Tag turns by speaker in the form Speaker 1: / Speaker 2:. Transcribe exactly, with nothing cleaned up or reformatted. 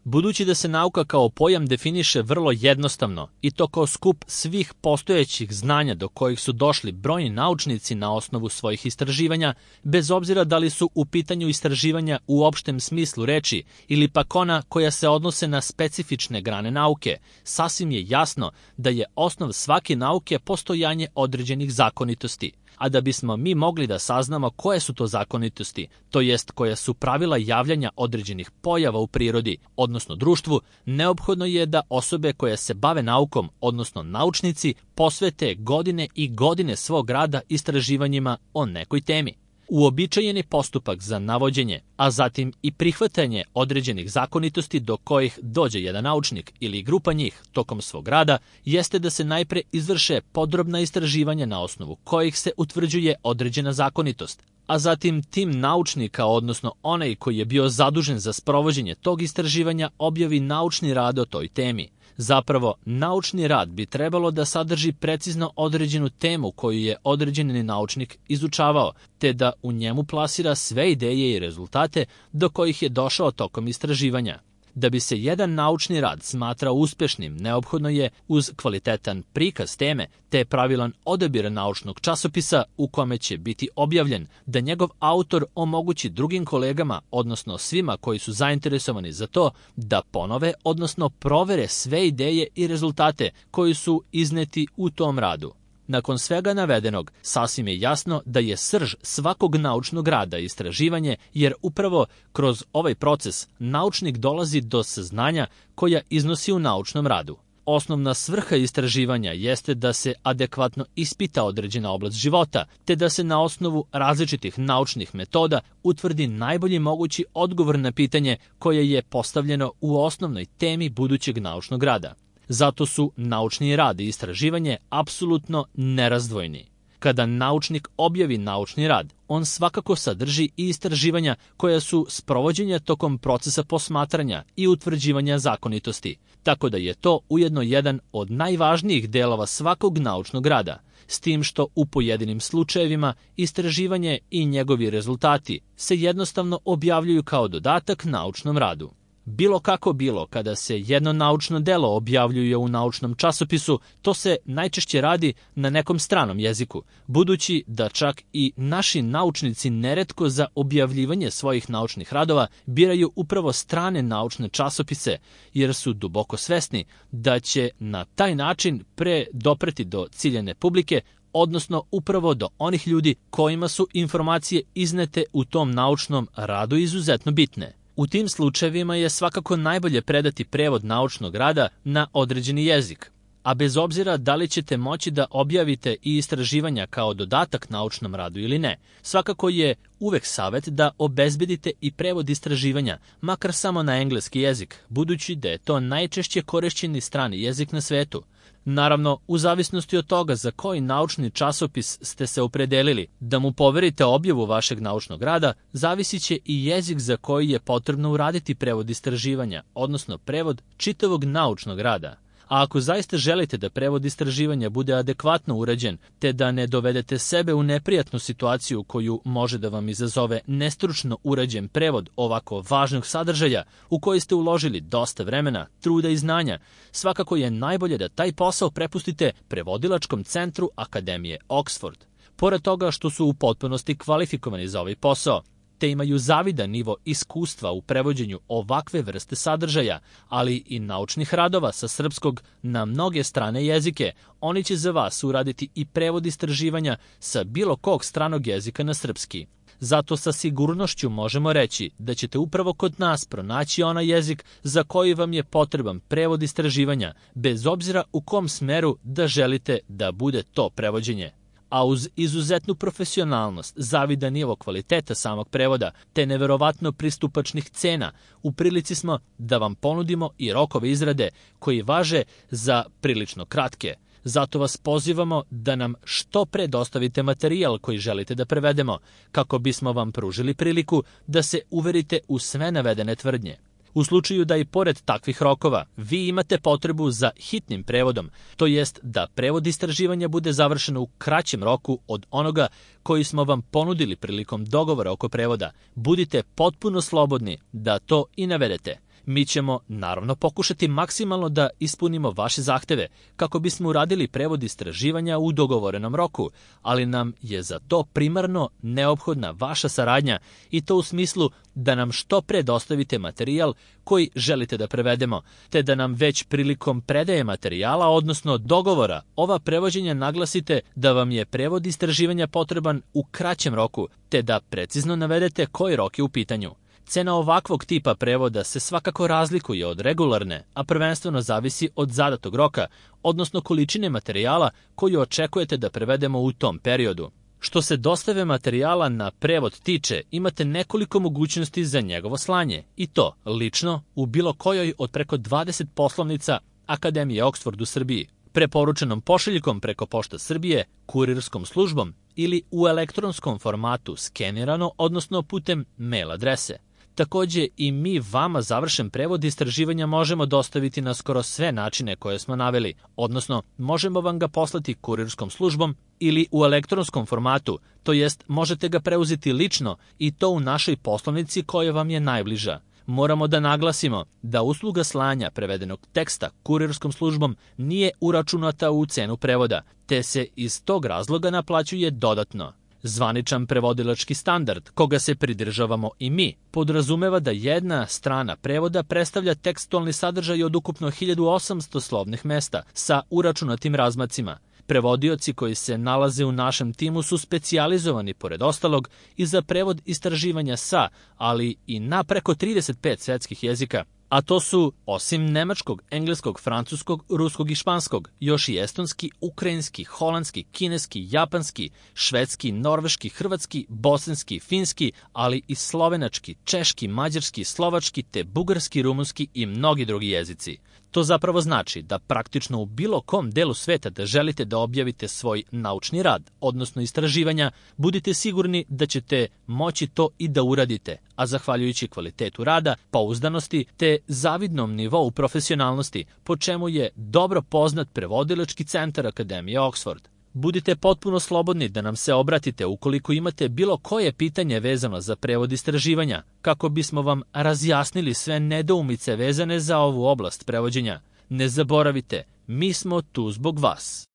Speaker 1: Budući da se nauka kao pojam definiše vrlo jednostavno i to kao skup svih postojećih znanja do kojih su došli brojni naučnici na osnovu svojih istraživanja, bez obzira da li su u pitanju istraživanja u opštem smislu reči ili pak ona koja se odnose na specifične grane nauke, sasvim je jasno da je osnov svake nauke postojanje određenih zakonitosti. A da bismo mi mogli da saznamo koje su to zakonitosti, to jest koja su pravila javljanja određenih pojava u prirodi, odnosno društvu, neophodno je da osobe koje se bave naukom, odnosno naučnici, posvete godine i godine svog rada istraživanjima o nekoj temi. Uobičajeni postupak za navođenje, a zatim i prihvatanje određenih zakonitosti do kojih dođe jedan naučnik ili grupa njih tokom svog rada, jeste da se najpre izvrše podrobna istraživanja na osnovu kojih se utvrđuje određena zakonitost, a zatim tim naučnika, odnosno onaj koji je bio zadužen za sprovođenje tog istraživanja, objavi naučni rad o toj temi. Zapravo, naučni rad bi trebalo da sadrži precizno određenu temu koju je određeni naučnik izučavao, te da u njemu plasira sve ideje i rezultate do kojih je došao tokom istraživanja. Da bi se jedan naučni rad smatrao uspešnim, neophodno je uz kvalitetan prikaz teme te pravilan odabir naučnog časopisa u kome će biti objavljen, da njegov autor omogući drugim kolegama, odnosno svima koji su zainteresovani za to, da ponove, odnosno provere sve ideje i rezultate koji su izneti u tom radu. Nakon svega navedenog, sasvim je jasno da je srž svakog naučnog rada istraživanje, jer upravo kroz ovaj proces naučnik dolazi do saznanja koja iznosi u naučnom radu. Osnovna svrha istraživanja jeste da se adekvatno ispita određena oblast života, te da se na osnovu različitih naučnih metoda utvrdi najbolji mogući odgovor na pitanje koje je postavljeno u osnovnoj temi budućeg naučnog rada. Zato su naučni rad i istraživanje apsolutno nerazdvojni. Kada naučnik objavi naučni rad, on svakako sadrži i istraživanja koja su sprovođenja tokom procesa posmatranja i utvrđivanja zakonitosti, tako da je to ujedno jedan od najvažnijih delova svakog naučnog rada, s tim što u pojedinim slučajevima istraživanje i njegovi rezultati se jednostavno objavljuju kao dodatak naučnom radu. Bilo kako bilo, kada se jedno naučno delo objavljuje u naučnom časopisu, to se najčešće radi na nekom stranom jeziku, budući da čak i naši naučnici neretko za objavljivanje svojih naučnih radova biraju upravo strane naučne časopise, jer su duboko svesni da će na taj način pre dopreti do ciljane publike, odnosno upravo do onih ljudi kojima su informacije iznete u tom naučnom radu izuzetno bitne. U tim slučajevima je svakako najbolje predati prevod naučnog rada na određeni jezik, a bez obzira da li ćete moći da objavite i istraživanja kao dodatak naučnom radu ili ne, svakako je uvek savet da obezbedite i prevod istraživanja, makar samo na engleski jezik, budući da je to najčešće korišćeni strani jezik na svetu. Naravno, u zavisnosti od toga za koji naučni časopis ste se opredelili da mu poverite objavu vašeg naučnog rada, zavisit će i jezik za koji je potrebno uraditi prevod istraživanja, odnosno prevod čitavog naučnog rada. A ako zaista želite da prevod istraživanja bude adekvatno urađen, te da ne dovedete sebe u neprijatnu situaciju koju može da vam izazove nestručno urađen prevod ovako važnog sadržaja u koji ste uložili dosta vremena, truda i znanja, svakako je najbolje da taj posao prepustite Prevodilačkom centru Akademije Oxford. Pored toga što su u potpunosti kvalifikovani za ovaj posao, te imaju zavidan nivo iskustva u prevođenju ovakve vrste sadržaja, ali i naučnih radova sa srpskog na mnoge strane jezike, oni će za vas uraditi i prevod istraživanja sa bilo kog stranog jezika na srpski. Zato sa sigurnošću možemo reći da ćete upravo kod nas pronaći onaj jezik za koji vam je potreban prevod istraživanja, bez obzira u kom smeru da želite da bude to prevođenje. A uz izuzetnu profesionalnost, zavidan nivo kvaliteta samog prevoda, te neverovatno pristupačnih cena, u prilici smo da vam ponudimo i rokove izrade koji važe za prilično kratke. Zato vas pozivamo da nam što pre dostavite materijal koji želite da prevedemo, kako bismo vam pružili priliku da se uverite u sve navedene tvrdnje. U slučaju da i pored takvih rokova vi imate potrebu za hitnim prevodom, to jest da prevod istraživanja bude završeno u kraćem roku od onoga koji smo vam ponudili prilikom dogovora oko prevoda, budite potpuno slobodni da to i navedete. Mi ćemo naravno pokušati maksimalno da ispunimo vaše zahteve kako bismo uradili prevod istraživanja u dogovorenom roku, ali nam je za to primarno neophodna vaša saradnja i to u smislu da nam što pre dostavite materijal koji želite da prevedemo, te da nam već prilikom predaje materijala, odnosno dogovora, ova prevođenja naglasite da vam je prevod istraživanja potreban u kraćem roku, te da precizno navedete koji rok je u pitanju. Cena ovakvog tipa prevoda se svakako razlikuje od regularne, a prvenstveno zavisi od zadatog roka, odnosno količine materijala koju očekujete da prevedemo u tom periodu. Što se dostave materijala na prevod tiče, imate nekoliko mogućnosti za njegovo slanje, i to lično u bilo kojoj od preko dvadeset poslovnica Akademije Oxford u Srbiji, preporučenom pošiljkom preko Pošta Srbije, kurirskom službom ili u elektronskom formatu skenirano, odnosno putem mail adrese. Takođe i mi vama završen prevod istraživanja možemo dostaviti na skoro sve načine koje smo naveli, odnosno možemo vam ga poslati kurirskom službom ili u elektronskom formatu, to jest možete ga preuzeti lično i to u našoj poslovnici koja vam je najbliža. Moramo da naglasimo da usluga slanja prevedenog teksta kurirskom službom nije uračunata u cenu prevoda, te se iz tog razloga naplaćuje dodatno. Zvaničan prevodilački standard, koga se pridržavamo i mi, podrazumeva da jedna strana prevoda predstavlja tekstualni sadržaj od ukupno hiljadu osamsto slovnih mesta sa uračunatim razmacima. Prevodioci koji se nalaze u našem timu su specijalizovani, pored ostalog, i za prevod istraživanja sa, ali i na preko trideset pet svetskih jezika, a to su, osim nemačkog, engleskog, francuskog, ruskog i španskog, još i estonski, ukrajinski, holandski, kineski, japanski, švedski, norveški, hrvatski, bosanski, finski, ali i slovenački, češki, mađarski, slovački, te bugarski, rumunski i mnogi drugi jezici. To zapravo znači da praktično u bilo kom delu sveta da želite da objavite svoj naučni rad, odnosno istraživanja, budite sigurni da ćete moći to i da uradite, a zahvaljujući kvalitetu rada, pouzdanosti te zavidnom nivou profesionalnosti, po čemu je dobro poznat prevodilački centar Akademije Oxford. Budite potpuno slobodni da nam se obratite ukoliko imate bilo koje pitanje vezano za prevod istraživanja, kako bismo vam razjasnili sve nedoumice vezane za ovu oblast prevođenja. Ne zaboravite, mi smo tu zbog vas.